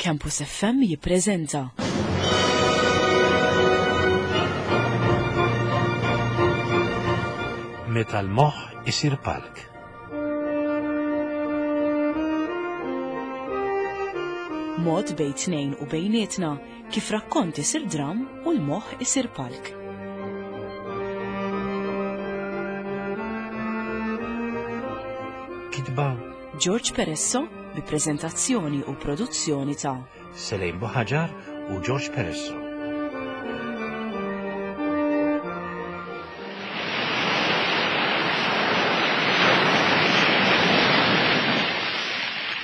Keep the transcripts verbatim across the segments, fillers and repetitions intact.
Campus F M jippreżenta Meta l-moħħ isir palk. Mod bejn tnejn u bejnietna kif rakkont isir dram u l-moħħ isir palk. Kitba George Peresso bi preżentazzjoni u produzzjoni ta' Selejn Buħaġar u George Peresso.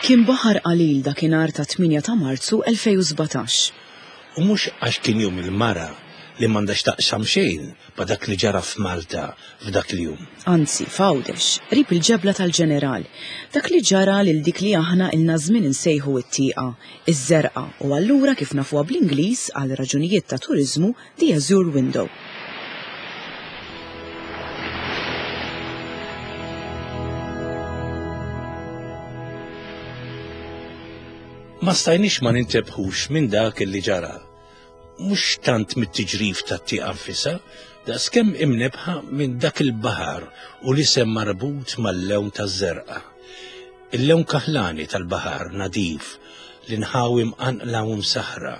Kien baħar qalil dakinhar ta' tmienja ta' Marzu elfejn u sbatax. U mhux għax kien jum il-mara, li m'għandax taqsam xejn ma' dak li ġara f'Malta f'dak il-jum. Anzi, f'Għawdex, qrib il-ġebla tal-Ġeneral, dak li ġara lil dik li aħna ilna żmien insejħu it-tieqa, iż-żerqa, u allura kif nafuha bl-Ingliż għal raġunijiet ta' turiżmu, the Azure Window. Ma stajniex ma nintebħux minn dak li ġara. Mhux tant mit-tiġrif tat-tieqa nfisha, daqskemm imnebħa minn dak il-baħar u l-isem marbut mal-lewn taż-żerqa. Il-lewn kaħlani tal-baħar nadif, l-inħawi mqanqla u msaħra.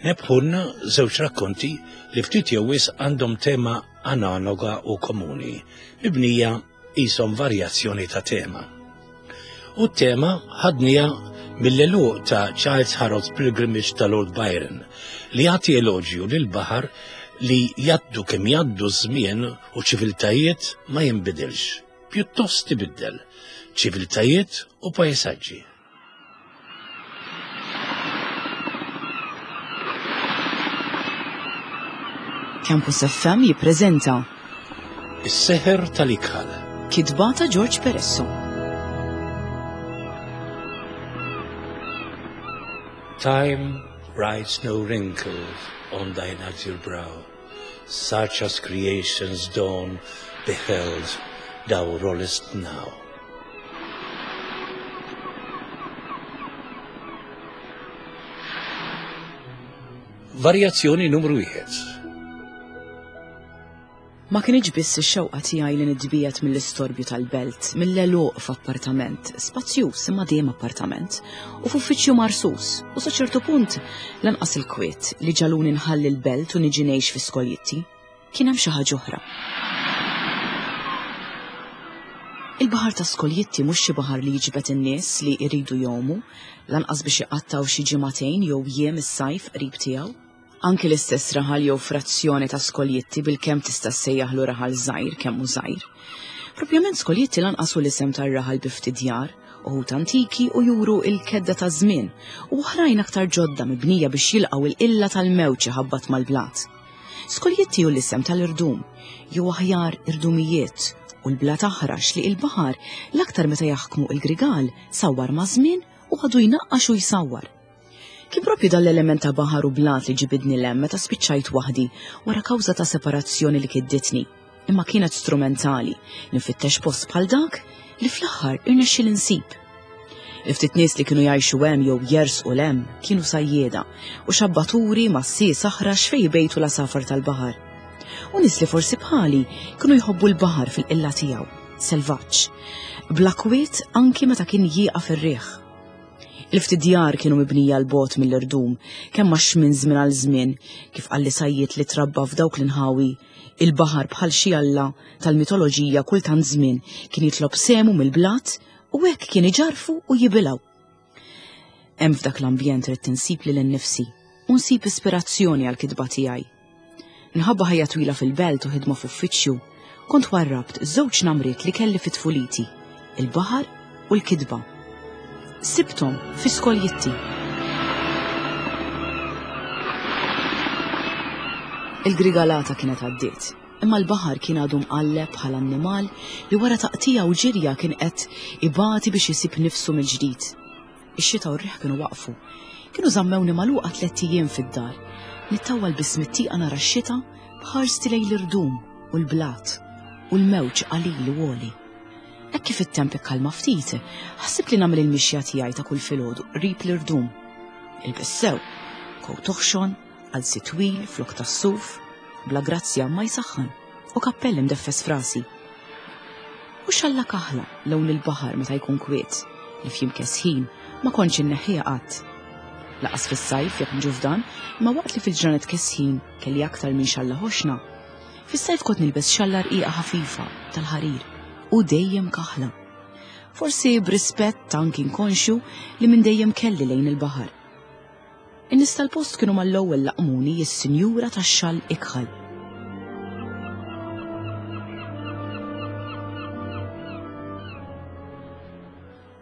Nebħulna żewġ rakkonti li ftit jew wisq għandhom tema analoga u komuni, mibnija qishom varjazzjoni ta' tema. U t-tema ħadnija mill-għeluq ta' Childe Harold's Pilgrimage ta' Lord Byron, li jagħti eloġju lil baħar li jgħaddu kemm jgħaddu żmien u ċiviltajiet ma jinbidilx, pjuttost ibiddel ċiviltajiet u pajsaġġi. Campus F M jippreżenta Is-seħer tal-ikħal. Kitba ta' George Peresso. Time writes no wrinkles on thine azure brow, such as creation's dawn beheld thou rollest now. Varjazzjoni numru wieħed. Ma kienx biss ix-xewqa tiegħi li nitbiegħed mill-istorbju tal-belt, mill-għeluq f'appartament, spazjuż imma dejjem appartament, u f'uffiċċju marsus, u sa ċertu punt lanqas il-kwiet li ġagħluni nħalli l-belt u niġi ngħix fi Skoljitti. Kien hemm xi ħaġa oħra. Il-baħar ta' Skoljitti mhux xi baħar li jiġbed in-nies li jridu jgħumu, lanqas biex iqattaw xi ġimagħtejn jew jiem is-sajf qrib tiegħu. Anki l-istess raħal jew frazzjoni ta' Skoljitti bil-kemm tista' ssejjaħlu raħal żgħir kemm hu żgħir. Propjament Skoljitti lanqas hu l-isem tar-raħal bi ftit djar, uħud antiki u juru il-kedda ta' żmien, u oħrajn aktar ġodda mibnija biex jilqgħu il-qilla tal-mewġ ħabbat mal-blat. Skoljitti hu l-isem tal-irdum, jew aħjar irdumijiet, u l-blat aħrax li il-baħar l-aktar meta jaħkmu il-grigal sawwar ma' żmien u għadu jnaqqax u jsawwar. Kien propju dal-element ta' baħar u blat li ġibidni 'l hemm meta spiċċajt waħdi wara kawża ta' separazzjoni li kidditni. Imma kienet strumentali li nfittex post bħal dak li fl-aħħar irnexxieli nsib. Il-ftit nies li kienu jgħixu hemm jew jersqu 'l hemm kienu sajjieda u xabbaturi ma' sies aħrax fejn jbejtu l-għasafar tal-baħar. U nies li forsi bħali kienu jħobbu l-baħar fil-qilla tiegħu, selvaġġ, bla kwiet anki meta kien jieqaf ir-riħ. Il-ftit djar kienu mibnija 'l bogħod mill-irdum, kemm għax minn żmien għal żmien, kif qalli sajjied li trabba f'dawk l-inħawi, il-baħar bħal xi alla tal-mitoloġija kultant żmien kien jitlob sehmu mill-blat u hekk kien iġarfu u jibilgħu. Hemm f'dak l-ambjent ridt insib lil innifsi u nsib ispirazzjoni għall-kitba tiegħi. Minħabba ħajja twila fil-belt u ħidma f'uffiċċju, kont warrabt żewġ namriet li kelli fit-tfuliti, il-baħar u l-kitba. Sibthom fi Skoljitti. Il-grigalata kienet għaddiet, imma l-baħar kien għadu mqalleb bħal annimal li wara taqtija u ġirja kien qed ibati biex isib nifsu mill-ġdid. Ix-xita u r-riħ kienu waqfu. Kienu żammewni magħluqa tliet ijiem fid-dar. Nittawwal biss mit-tieqa nara x-xita b'ħarsti lejn l-irdum u l-blat u l-mewġ qalil u għoli. Hekk kif it-temp ikkalma ftit, ħsibt li nagħmel il-mixja tiegħi ta' kull filgħodu qrib l-irdum. Ilbes sew, kowt oħxon, qalzi twil, flok tas-suf, bla grazzja ma jsaħħan, u kappell imdeffes frasi. U xalla kaħla lawn il-baħar meta jkun kwiet, li f'jiem kesħin ma kontx inneħħiha qatt. Laqas fis-sajf jekk niġu f'dan, imma waqt li fil-ġranet kesħin kelli aktar minn xalla ħoxna, fis-sajf kont nilbes xalla rqiqa ħafifa tal-ħarir u dejjem kaħla. Forsi b'rispett anki inkonxju li minn dejjem kelli lejn il-baħar. In-nies tal-post kienu mal-ewwel laqmuni is-sinjura tax-xall ikħal.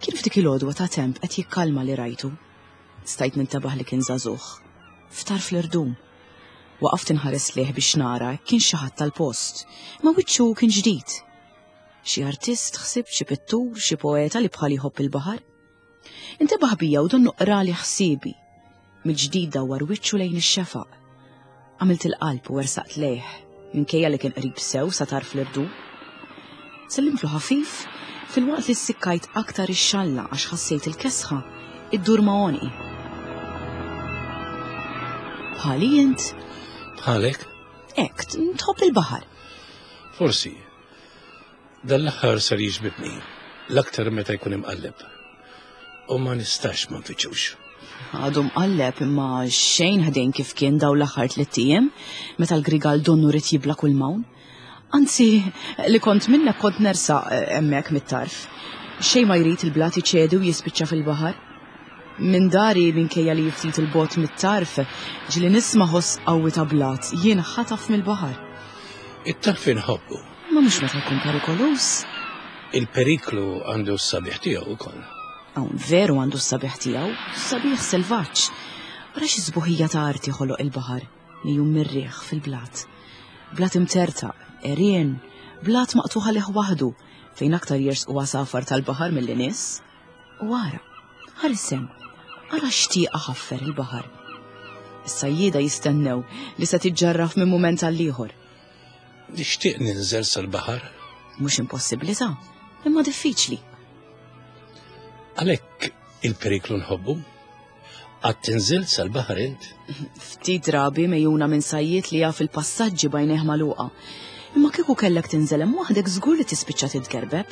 Kien f'dik il-għodwa ta' temp qed jikkalma li rajtu. Stajt nintebaħ li kien żagħżugħ. Ftarf l-irdum. Waqaft inħares lejh biex nara kien xi ħadd tal-post, imma wiċċu kien ġdid. Xi artist, ħsibt, xi pittur, xi poeta li bħali jħobb il-baħar. Intebaħ bija u donnu qrali ħsiebi. Mill-ġdid dawwar wiċċu lejn ix-xefaq. Għamilt il-qalb u wersaqt lejh, minkejja li kien qrib sew sa tarf l-irdum. Sellimtlu ħafif filwaqt li ssikkajt aktar ix-xalla għax ħassejt il-kesħa iddur ma' għonqi. Bħali int? Bħalek? Hekk, tħobb il-baħar. Forsi. Dan l-aħħar sar jiġbidni, l-aktar meta jkun imqalleb. U ma nistax ma nfittxux. Għadu mqalleb imma xejn ħdejn kif kien daw l-aħħar tliet ijiem meta l-grigal donnu rid jibla kull mawn. Anzi, li kont minnek kont nersaq hemmhekk mit-tarf. Xejn ma jrid il-blat iċedi u jispiċċa fil-baħar. Minn dari minkejja li ftit il-bot mit-tarf, ġieli nisma' ħoss qawwi ta' blat jien ħataf mill-baħar. It-tarf inħobbu. Ma mhux meta jkun perikoluż. Il-periklu għandu s-sabiħ tiegħu wkoll. Hawn veru għandu s-sabiħ tiegħu, sabiħ selvaġġ. Ara xi sbuħija ta' arti ħoloq il-baħar li jum mir-riħ fil-blat. Blat imtertaq, għerien, blat maqtuħa lih waħdu fejn aktar jersqu għasafar tal-baħar milli nies. U ara, ħares hemm, ara xtieqa ħaffer il-baħar. Is-sajjieda jistennew li se tiġġarraf minn mument għal ieħor. Nixtieq ninżel sal-baħar. Mhux impossibbli ta', imma diffiċli. Għalhekk il-periklu nħobbu? Qatt tinżilt sal-baħar int? Ftit drabi mejjuna minn sajjied li jaf il-passaġġi bajnejh magħluqa. Imma kieku kellek tinżel hemm waħdek żgur li tispiċċa titgerbeb.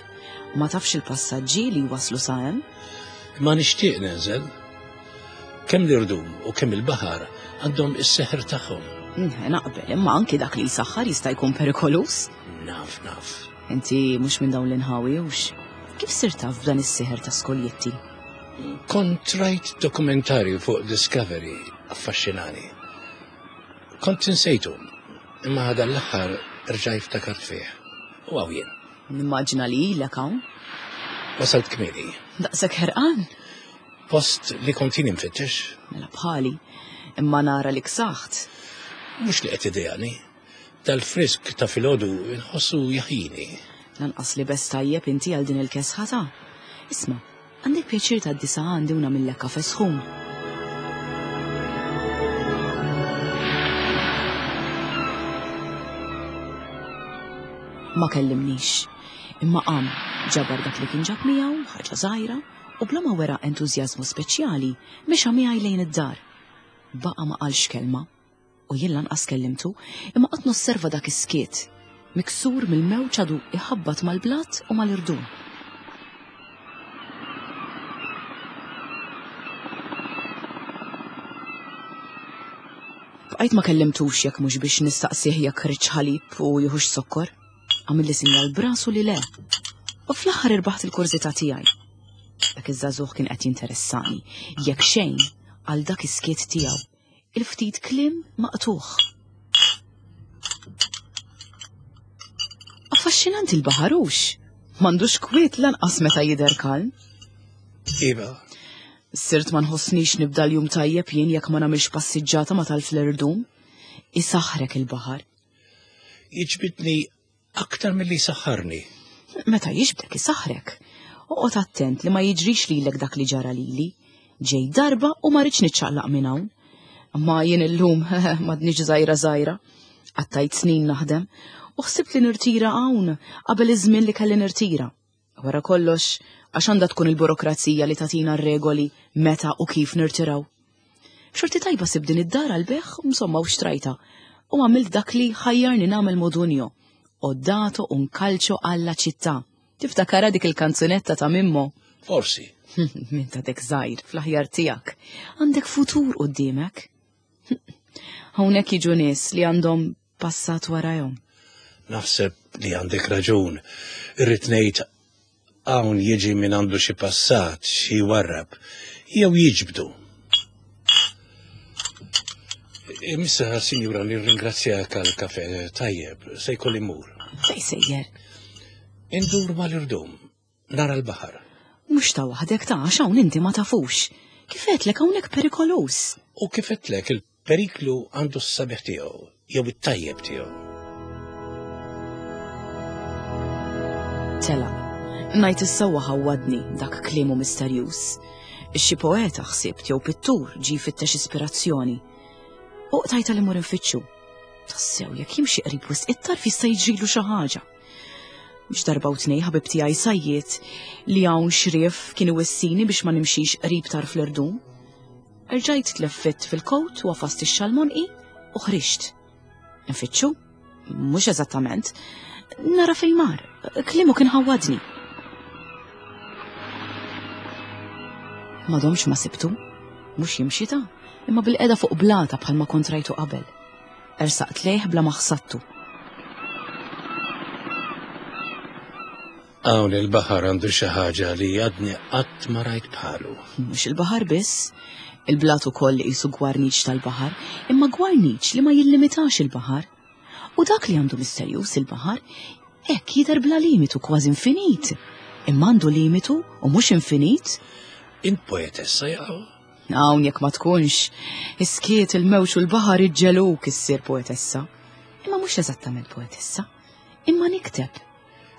Ma tafx il-passaġġi li waslu sa hemm. Ma nixtieq ninżel. Kemm l-irdum u kemm il-baħar għandhom is-seħer tagħhom. Naqbel, imma anki dak li jsaħħar jista' jkun perikolus. Naf, naf. Inti mhux minn dawn l-inħawi hux. Kif sirt taf b'dan is-seħer ta' skoljetti? Kont rajt dokumentarju fuq Discovery affaxxinani. Kont insejtu, imma dan l-aħħar rġajt ftakart fih. U hawn jien. Nimmaġina li ilek hawn. Wasalt kmieni. Daqshekk ħerqan? Post li kont jien infittex. Mela bħali, imma nara li ksaħt. Mhux li qed idejani. Dal-frisk ta' filgħodu nħossu jaħjini. Lanqas li bes tajjeb inti għal din il-kesħa ta'. Isma', għandek pjaċir ta' disa għandi u nagħmillek kafe sħun. Ma kellimnix, imma qam ġabar dak li kien ġab miegħu, ħaġa żgħira, u bla ma wera entużjażmu speċjali mexa miegħi lejn id-dar. Baqa' ma qalx kelma, u jien lanqas kellimtu, imma qatt nosserva dak is-skiet, miksur mill-mewġ għadu iħabbat mal-blat u mal-irdum. Bqajt ma kellimtux jekk mhux biex nistaqsih jekk ridx ħalib u jieħux sokkor. Għamilli sinjal brasu li le. U fl-aħħar irbaħt il-kurżità tiegħi. Dak iż-żagħżugħ kien qed jinteressani, jekk xejn għal dak is-skiet tiegħu, il-ftit kliem maqtuħ. Affaxxinanti l-baħar hux. M'għandux kwiet lanqas meta jidher kalm. Iva. Sirt ma nħossnix nibda l-jum tajjeb jien jekk ma nagħmilx passiġġata ma tal-fl-irdum. Isaħħrek il-baħar. Jiġbidni aktar milli jsaħħarni. Meta jiġbdek isaħħrek. Oqgħod attent li ma jiġrix lilek dak li ġara lili. Ġej darba u ma rridx niċċaqlaq minn hawn. Ma jien illum m'għadniex żgħira żgħira. Qattajt snin naħdem u ħsibt li nirtira hawn qabel iż-żmien li kelli nirtira. Wara kollox, għax għandha tkun il-burokrazija li tagħtina r-regoli meta u kif nirtiraw. B'xorti tajba sibt din id-dar għall-bejgħ, insomma u xtrajtha. U għamilt dak li ħajjarni nagħmel Modugno. Ho dato un calcio alla città. Tiftakarha dik il-kanzunetta ta' Mimmo? Forsi. Minn ta' dek żgħir, fl-aħjar tiegħek. Għandek futur quddiemek. Hawnhekk jiġu nies li għandhom passat warajhom. Naħseb li għandek raġun. Irrid ngħid hawn jiġi min għandu xi passat, xi warrab, jew jiġbdu. Issa, sinjura, nirringrazzjak għal kafe tajjeb, se jkolli mmur. Fejn sejjer? Indur mal-irdum, nara l-baħar. Mhux ta' waħdek ta' għax hawn inti ma tafux. Kif għedtlek hawnhekk perikoluż. U kif għedtlek il-periklu għandu s-sabiħ tiegħu, jew it-tajjeb tiegħu. Telaq. Ngħid is-sewwa ħawwadni dak kliemu misterjuż. Xi poeta ħsibt jew pittur ġie jfittex ispirazzjoni. U qtajtha li mmur infittxu. Tassew jekk jimxi qrib wisq it-tarf jista' jiġrilu xi ħaġa. Mhux darba u tnej ħabib tiegħi sajjiet li hawn xrief kien iwissini biex ma nimxix qrib tarf l-irdum. Erġajt tleffit fil-kowt u għafast ix-xalmonqi u ħriġt. Nfittxu? Mhux eżattament. Nara fejn mar. Kliemu kien ħawwadni. Ma domx ma sibtu. Mhux jimxi ta' imma bil-qeda fuq blata bħalma kont rajtu qabel. Ersaqt lejh bla ma ħsattu. Hawn il-baħar għandu xi ħaġa li għadni qatt ma rajt bħalu. Mhux il-baħar biss, il-blat ukoll qisu gwarniċ tal-baħar, imma gwarniċ li ma jillimitax il-baħar. U dak li għandu misterjuż il-baħar, hekk jidher bla limitu kważi infinit. Imma għandu limitu u mhux infinit. Int poetessa jaqgħu? Hawn jekk ma tkunx, is-skiet, il-mewġ u l-baħar iġġeluk issir poetessa. Imma mhux eżattament poetessa, imma nikteb.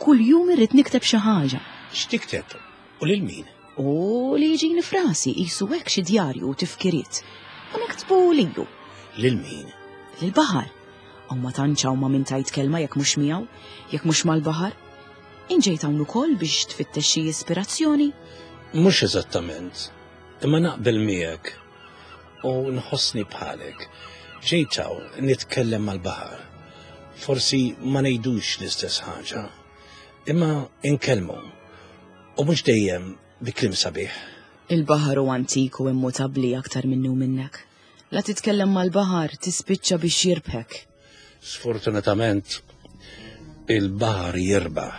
Kull jum irrid nikteb xi ħaġa. X'tikteb? U lil min? U li jiġini frasi qisu hekk xi djarju u tifkiriet. U niktbu lilu. Lil min? Lil-baħar. U ma tantx hawn ma min tajt kelma jekk mhux miegħu, jekk mhux mal-baħar. Inġejt hawn ukoll biex tfittex xi ispirazzjoni? Mhux eżattament, imma naqbel miegħek u nħossni bħalek. Ġejt hawn nitkellem mal-baħar. Forsi ma ngħidux l-istess ħaġa, imma inkellmu u mhux dejjem bi kliem sabiħ. Il-baħar hu antik u immutabbli aktar minni u minnek. La titkellem mal-baħar tispiċċa biex jirbħek. Sfortunatament il-baħar jirbaħ.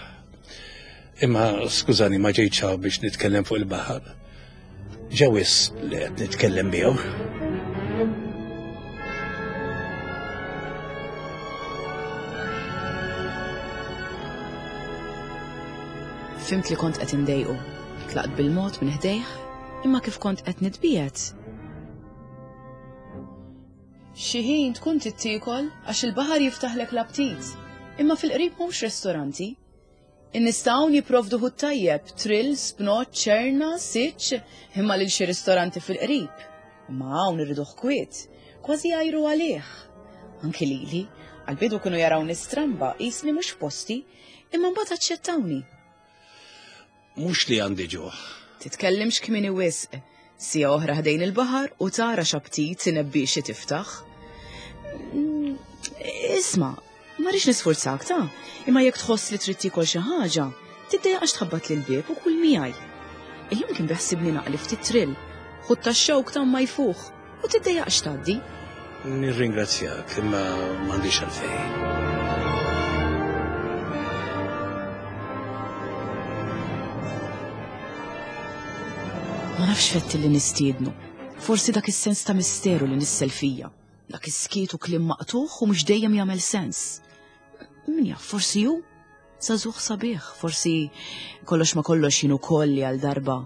Imma skużani ma ġejtx hawn biex nitkellem fuq il-baħar. Ġewis li qed nitkellem miegħu. Fimt li kont qed indejqu. Tlaqt bil-mod minn ħdejh, imma kif kont qed nitbiegħed. Xi ħin tkun tittiekol għax il-baħar jiftaħlek l-aptit, imma fil-qrib mhux ristoranti. In-nies ta' hawn jipprovdu ħut tajjeb, trill, spnot, ċerna, siċ, imma lil xi ristoranti fil-qrib. Imma hawn irriduh kwiet, kważi jgħajru għalih. Anki lili, għall-bidu kienu jarawni stramba, qisni mhux f'posti, imma mbagħad aċċettawni. Mhux li għandi ġuħ. Titkellimx kmieni wisq. Sija oħra ħdejn il-baħar u tara x'aptit inebbixi tiftaħ. Isma', ma rridx nisfurzak ta' imma jekk tħoss li trid tiekol xi ħaġa, tiddejjaqx tħabbat lil bieb u kull miegħi. Illum kien beħsibni naqli ftit trill, ħut tax-xewk ta' ma jfuħ u tiddejjaqx tgħaddi. Nirringrazzjak imma m'għandix għalfejn. Ma nafx fetti li nistiednu. Forsi dak is-sens ta' misteru li nissel fija. Dak is-skiet u kliem maqtuħ u mhux dejjem jagħmel sens. Min jaf, forsi hu żagħżugħ sabiħ, forsi kollox ma kollox jien ukoll li għal darba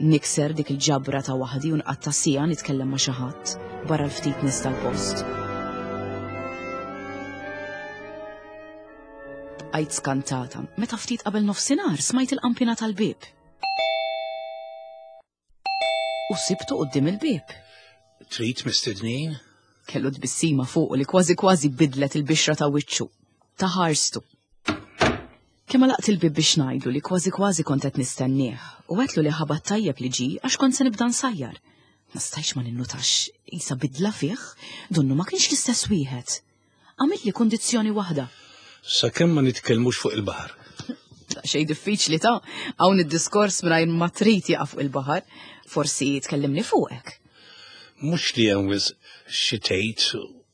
nikser dik il-ġabra ta' waħdi u nqatta' siegħa nitkellem ma' xi ħadd barra l-ftit nies tal-post. Bqajt skantata meta ftit qabel nofsinhar smajt il-qampina tal-bieb. U sibtu quddiem il-bieb. Trid mistednin? Kellu tbissima fuq li kważi kważi bidlet il-bixra ta' wiċċu, ta' ħarstu. Kemm għalaqt il-bieb biex ngħidlu li kważi kważi kont qed nistennieh u għedtlu li ħabat tajjeb li ġie għax kont se nibda nsajjar. Ma stajtx ma ninnutax isa bidla fih, donnu ma kienx l-istess wieħed. Għamilli kundizzjoni waħda. Sakemm ma nitkellmux fuq il-baħar. Xej diffiċli ta' hawn id-diskors mingħajr ma trid jaqa' fuq il-baħar, forsi tkellimni fuqek. Mhux li hemm wisq xi tgħid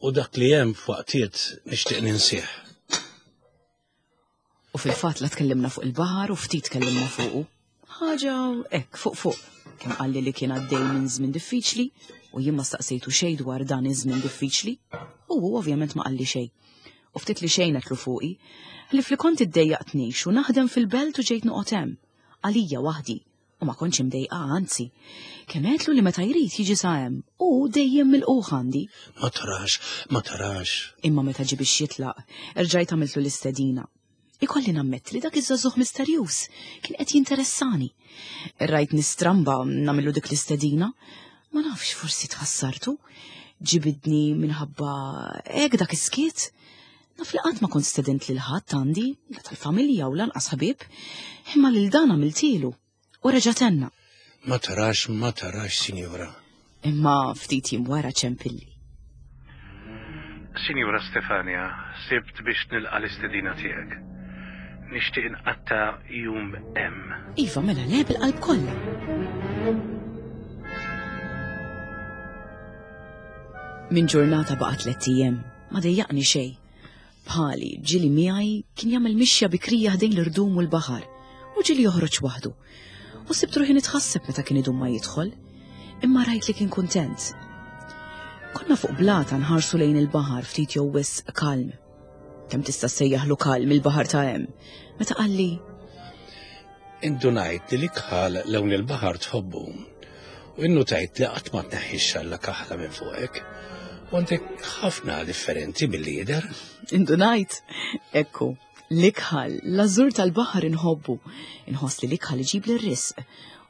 u dak li hemm f'waqtiet nixtieq ninsih. U fil-fatt la tkellimna fuq il-baħar u ftit tkellimna fuqu. Ħaġa hekk fuq fuq. Kemm qalli li kien għaddej minn żmien diffiċli u jien ma staqsejtu xejn dwar dan iż-żmien diffiċli u hu ovvjament ma qalli xejn. U ftit li xejn għedtlu fuqi, ħlief li kont iddejjaqt ngħix u naħdem fil-belt u ġejt noqgħod hemm, għalija waħdi, u ma kontx imdejqa anzi. Kemm għedtlu li meta jrid jiġi sa hemm u dejjem milqugħ għandi. Ma tarax, ma tarax. Imma meta ġie biex jitlaq, erġajt għamiltlu l-istedina. Ikolli nammetti li dak iż-żagħżugħ misterjuż kien qed jinteressani. Rajt nistramba nagħmillu dik l-istedina. Ma nafx forsi tħassartu. Ġibidni minħabba hekk dak is-skiet. Naf li qatt ma kont stedint lil ħadd għandi, la tal-familja u lanqas ħbieb, imma lil dan għamiltilu. U reġa' tenna. Ma tarax, ma tarax, sinjura. Imma ftit jiem wara ċempilli. Sinjura Stefania, sibt biex nilqa' l-istedina tiegħek. Nixtieq inqatta' jum hemm. Iva, mela le bil-qalb kollha. Minn ġurnata baqa' tliet ijiem, ma dejjaqni xejn. Bħali, ġieli miegħi kien jagħmel mixja bikrija ħdejn l-irdum u l-baħar, u ġieli joħroġ waħdu. U sibt ruħi nitħasseb meta kien idum ma jidħol, imma rajt li kien kuntent. Konna fuq blata nħarsu lejn il-baħar ftit jew wisq kalm. Kemm tista' ssejjaħlu kalm il-baħar ta' hemm? Meta qalli Indunajt li l-ikħal lewn il-baħar tħobbu. U innutajt li qatt ma tneħħi x-xalla kaħla minn fuqek. U għandek ħafna differenti milli jidher. Indunajt, ekku, l-ikħal, l-ażur tal-baħar inħobbu. Inħoss li l-ikħal iġib l-risq.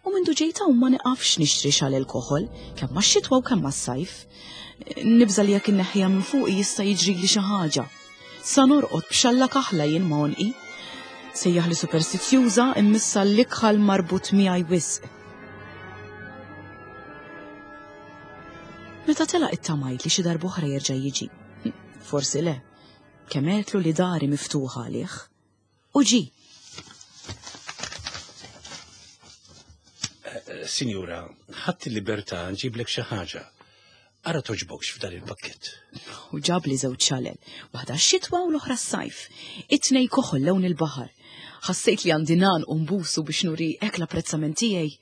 U mindu ġejta u ma niqafx nixtri xal il-koħol, kemm max-xitwa u kemm mas-sajf. Nibża li jekk inneħħiha minn fuqi jista' jiġri li xi ħaġa. Sa norqod b'xalla kaħla jien ma' għonqi. Sejjaħ li superstizzjuża immissa l-ikħal marbut miegħi wisq. Meta telaq ittamajt li xi darb'oħra jerġa' jiġi. Forsi le. Kemm għedtlu li dari miftuħa għalih. U ġie. Sinjura, ħadd il-libertà nġiblek xi ħaġa. Ara toġbokx f'dan il-pakkett. U ġabli żewġ xalel, waħda x-xitwa u l-oħra s-sajf. It-tnej koħol lewn il-baħar. Ħassejt li għandi nan u nbusu biex nuri hekk l-apprezzament tiegħi.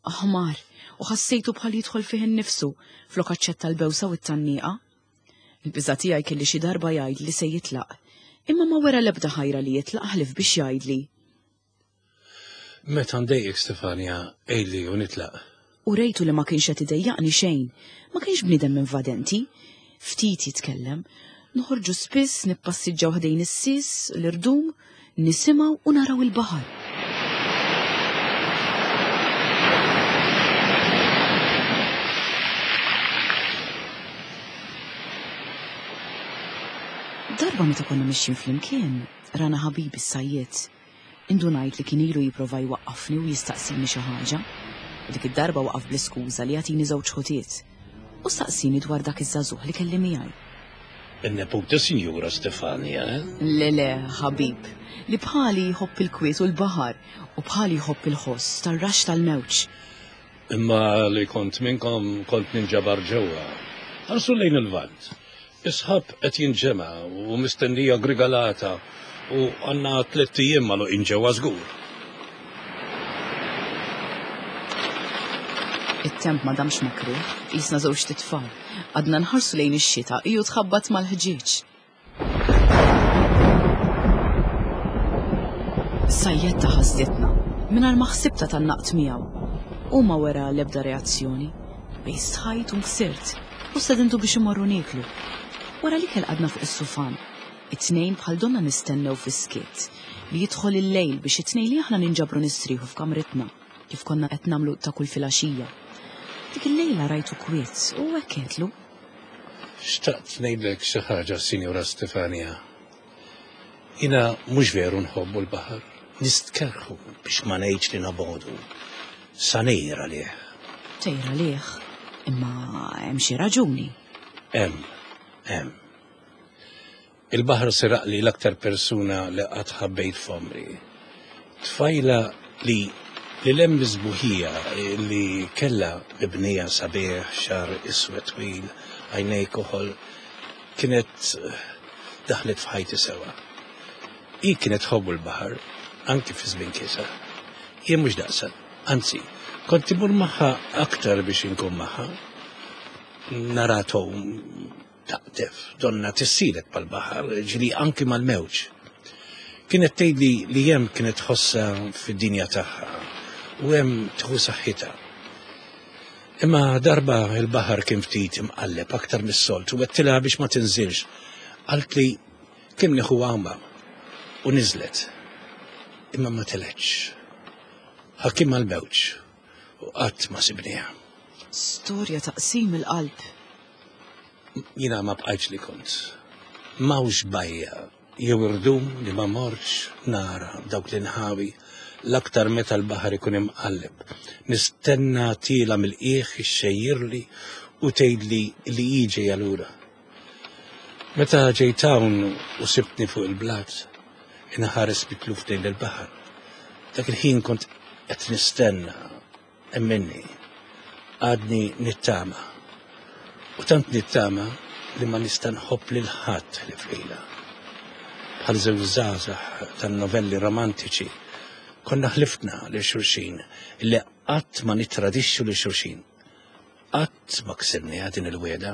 Aħmar, u ħassejtu bħal jidħol fih innifsu flok aċċetta l-bewsa u t-tannieqa. Il-biża' tiegħi kelli xi darba jgħid li se jitlaq, imma ma wera l-ebda ħajra li jitlaq ħlief biex jgħidli. Meta ndejjek Stefania, ejli u nitlaq. U rejtu li ma kienx qed idejjaqni xejn, ma kienx bniedem invadenti, ftit jitkellem, noħorġu spiss nippassiġġaw ħdejn is-sis, l-irdum, nisimgħu u naraw il-baħar. Darba meta konna mixjin flimkien, rana ħabibi s-sajjiet. Indunajt li kien ilu jipprova jwaqqafni u jistaqsini xi ħaġa. U dik id-darba waqaf bl-iskuża li jagħtini żewġ ħutiet. U staqsini dwar dak iż-żagħżugħ li kelli miegħi. In-neputa Sinjura Stefania, eh? Le le, ħabib, li bħali jħobb il-kwiet u l-baħar u bħali jħobb il-ħoss tar-rax tal-mewġ. Imma li kont minnkom kont ninġabar ġewwa. Ħarsu lejn il-vant. Isħab qed jinġema' u mistennija grigalata u għandna tliet ijiem magħluqin ġewwa żgur. It-temp ma damx makruh, qisna żewġ titfal. Għadna nħarsu lejn ix-xita iju tħabbat mal-ħġieġ. Sajjetta ħasditna, mingħajr ma ħsibta tannaqt miegħu. U ma wera l-ebda reazzjoni. Bej stħajt u nksirt u stedintu biex imorru nieklu. Wara li kell qadna fuq is-sufan, it-tnejn bħal donna nistennew fis-skiet li jidħol il-lejl biex it-tnejn li aħna ninġabru nistrieħu f'kamritna kif konna qed nagħmlu ta' kull filgħaxija. Dik il-lejla rajtu kwiet u hekk għedtlu. Xtaqt ngħidlek xi ħaġa, Sinjura Stefania. Jiena mhux veru nħobbu l-baħar, nistkerħu biex ma ngħidx li nabodu. Sa ngħir għalih. Tgħir għalih, Imma hemm xi raġuni. Hemm, hemm. Il-baħar seraqli l-aktar persuna li qatt ħabbejt f'għomri. Tfajla li li lem sbuħija li kella mibnija sabiħ, xagħar iswed twil, għajnej koħol, kienet daħlet f'ħajti sewa. Hi kienet tħobbu l-baħar, anki fi żmien kisa. Jien mhux daqsa, anzi, kont imur magħha aktar biex inkun magħha. Nara tgħum taqdef, donna tissielet mal-baħar, ġieli anki mal-mewġ. Kienet tgħidli li hemm kienet tħossha fid-dinja tagħha u hemm tieħu saħħitha. Imma darba il-baħar kien ftit imqalleb aktar mis-soltu u għedtilha biex ma tinżilx. Qaltli kemm nieħu għawma u niżlet. Imma ma telgħetx. Ħakimha l-mewġ u qatt ma sibniha. Storja taqsim il-qalb. Jiena ma bqajtx li kont. M'hawnx bajja jew irdum li ma mortx nara dawk l-inħawi l-aktar meta l-baħar ikun imqalleb. Nistenna tila mill-qiegħ ixxejjirli u tgħidli li hi ġejja lura. Meta ġejt hawn u sibtni fuq il-blat, inħares mitluf lejn il-baħar. Dak il-ħin kont qed nistenna emminni, għadni nittama. U tant nittama li ma nista' nħobb lil ħadd li lilha. Bħal żewġ żgħażagħ tan-novelli romantiċi, konna ħlifna lil xulxin li qatt ma nittradixxu lil xulxin. Qatt ma ksirniha din il-wegħda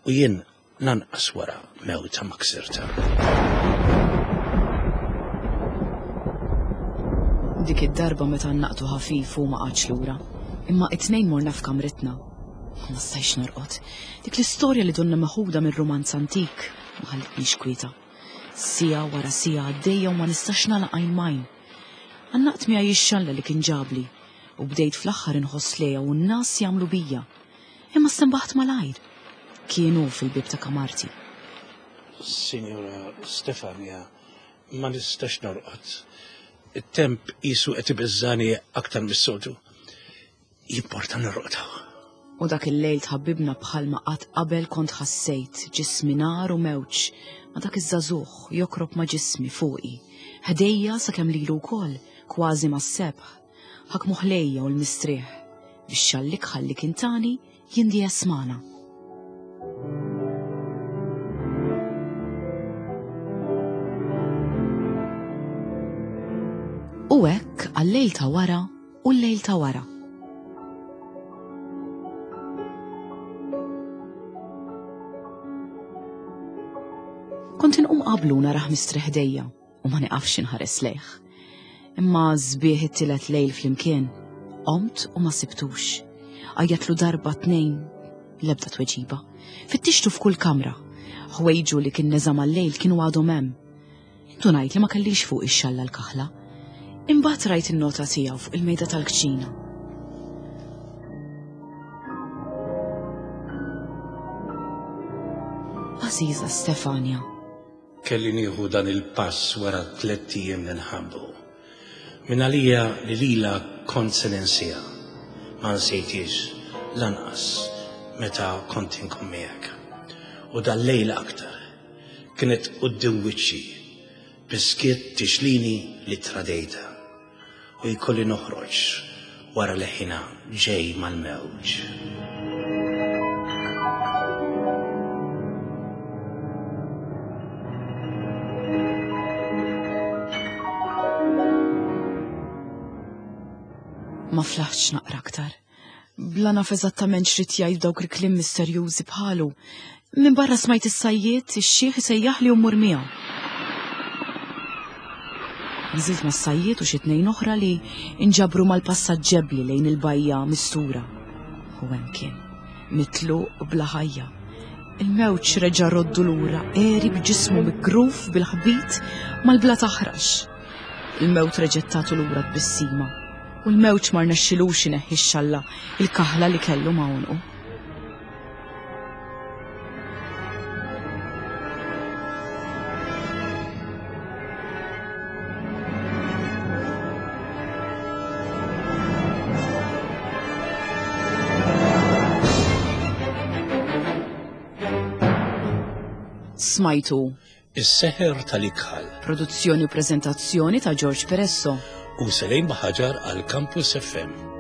u jien lanqas wara mewta ma ksirta. Dik id-darba meta naqtu ħafif u ma qagħadx lura, imma it-tnejn morna f'kamritna. Ma stajtx norqod. Dik l-istorja li donna meħuda minn romanz antik ma ħallitnix kwieta. Siegħa wara siegħa għaddejja u ma nistax nagħlaq għajn m'għajn. Għannaqt miegħi x-xalla li kien ġabli u bdejt fl-aħħar inħoss lejha u n-nas jagħmlu bija. Imma stenbaħt malajr. Kienu fil-bib ta' kamarti. Signora Stefania, ma nistax norqod. It-temp qisu qed ibeżżani aktar mis-soltu. Jimporta norqod. U dak il-lejl tħabbibna bħalma qatt qabel kont ħassejt ġismi nar u mewġ ma dak iż-żagħżugħ jokrob ma' ġismi fuqi. Ħdejja sakemm lilu wkoll kważi mas-sebħ. Ħakmu ħlejja u l-mistrieħ biex xallik ħalli kien tani jindi jasmana. U hekk għal-lejl ta' wara u l-lejl ta' wara. Kont inqum qablu naraħ mistrieħ ħdejja u ma niqafx inħares lejh. Imma sbieħ it-tielet lejl flimkien, qomt u ma sibtux. Għajjatlu darba tnejn, l-ebda tweġiba. Fittixtu f'kull kamra. Ħwejġu li kien neża' mal-lejl kienu għadhom hemm. Indunajt li ma kellix fuq ix-xalla l-kaħla. Imbagħad rajt in-nota tiegħu fuq il-mejda tal-kċina. Għażiża Stefania. Kelli nieħu dan il-pass wara tliet ijiem li nħabbu. Min għalija li lila kont se ninsieha. Ma nsejtix lanqas meta kont inkun miegħek. U dal-lejl aktar kienet quddiem wiċċi biskiet tixlini li tradejta u jkolli noħroġ wara li ħina ġej mal-mewġ. Ma flaħtx naqra aktar. Bla naf eżattament x'rid jgħid dawk il-kliem misterjużi bħalu. Minn barra smajt is-sajjied, ix-xiħ isejjaħ li mmur miegħu. Nżilt mas-sajjied u xi tnejn oħra li inġabru mal-passaġġebli lejn il-bajja mistura. U hemm kien, mitluq bla ħajja. Il-mewġ reġa' roddu lura, għeri b'ġismu migruf bil-ħbit mal-bla taħrax. Il-mewt reġgħet tagħtu lura tbissima. U l-mewġ ma rnexxilux ineħħi x-xalla il-kaħla li kellu ma' għonqu. Smajtu Is-Seħer tal-Ikħal. Produzzjoni u preżentazzjoni ta' George Peresso. U Selejn Baħaġar għal Campus F M.